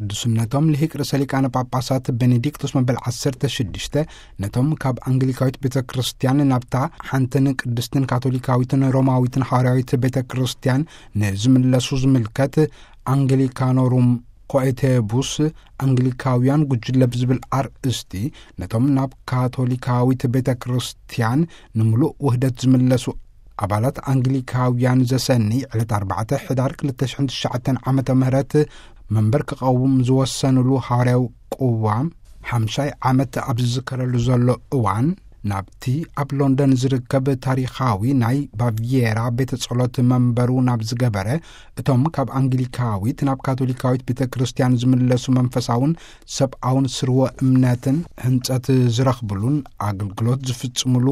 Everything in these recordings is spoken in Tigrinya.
ቅዱስነቶም ልሂቅ ርእሰ ሊቃነ ጳጳሳት ቤኔዲክቶስ መበል ዓሰርተ ሽዱሽተ ነቶም ካብ ኣንግሊካዊት ቤተ ክርስቲያን ናብታ ሓንትን ቅድስትን ካቶሊካዊትን ሮማዊትን ሃዋርያዊት ቤተ ክርስቲያን ንዝምለሱ ዝምልከት፣ ኣንግሊካኖሩም ኮኤቴቡስ፣ ኣንግሊካውያን ጉጅለ ብዝብል ኣርእስቲ፣ ነቶም ናብ ካቶሊካዊት ቤተ ክርስቲያን ንምሉእ ውህደት ዝምለሱ ኣባላት ኣንግሊካውያን ዘሰኒ ዕለት ኣርባዕተ ሕዳር ክልተ ሽሕን ትሽዓተን ዓመተ ምህረት መንበር ክቐውም ዝወሰኑሉ ሃዋርያዊ ቅዋም ሓምሻይ ዓመት ኣብ ዝዝከረሉ ዘሎ እዋን፣ ናብቲ ኣብ ሎንደን ዝርከብ ታሪኻዊ ናይ ባቪየራ ቤተ ጸሎት መንበሩ ናብ ዝገበረ፣ እቶም ካብ ኣንግሊካዊት ናብ ካቶሊካዊት ቤተ ክርስቲያን ዝምለሱ መንፈሳውን ሰብኣውን ስርወ እምነትን ህንጸት ዝረኽብሉን ኣገልግሎት ዝፍጽሙሉ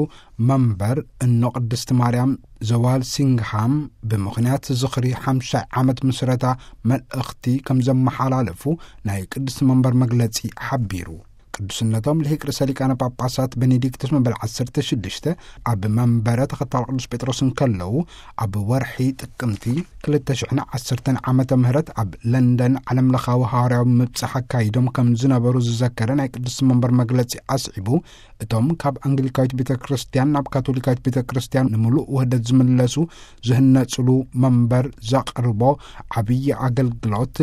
መንበር እኖ ቅድስቲ ማርያም ዘዋልሲንግሃም ብምኽንያት ዝኽሪ ሓምሻይ ዓመት ምስረታ መልእኽቲ ከም ዘመሓላለፉ ናይ ቅድስቲ መንበር መግለጺ ሓቢሩ። ቅዱስነቶም ልሂቅ ርእሰ ሊቃነ ጳጳሳት ቤኔዲክቶስ መበል ዓሰርተ ሽዱሽተ ኣብ መንበረ ተኸታል ቅዱስ ጴጥሮስ እንከለዉ፣ ኣብ ወርሒ ጥቅምቲ ክልተ ሽሕን ዓሰርተን ዓመተ ምህረት ኣብ ለንደን ዓለም ለኻዊ ሃዋርያዊ ምብጻሕ ኣካይዶም ከም ዝነበሩ ዝዘከረ ናይ ቅዱስ መንበር መግለጺ ኣስዒቡ፣ እቶም ካብ ኣንግሊካዊት ቤተ ክርስቲያን ናብ ካቶሊካዊት ቤተ ክርስቲያን ንምሉእ ውህደት ዝምለሱ ዝህነጽሉ መንበር ዘቕርቦ ዓብዪ ኣገልግሎት፣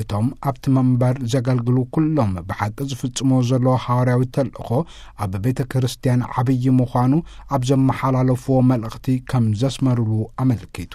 እቶም ኣብቲ መንበር ዘገልግሉ ኩሎም ብሓቂ ዝፍጽሞ ዘለዎ ሃዋርያዊ ተልእኾ ኣብ ቤተ ክርስቲያን ዓብዪ ምዃኑ ኣብ ዘመሓላለፍዎ መልእኽቲ ከም ዘስመሩሉ ኣመልኪቱ።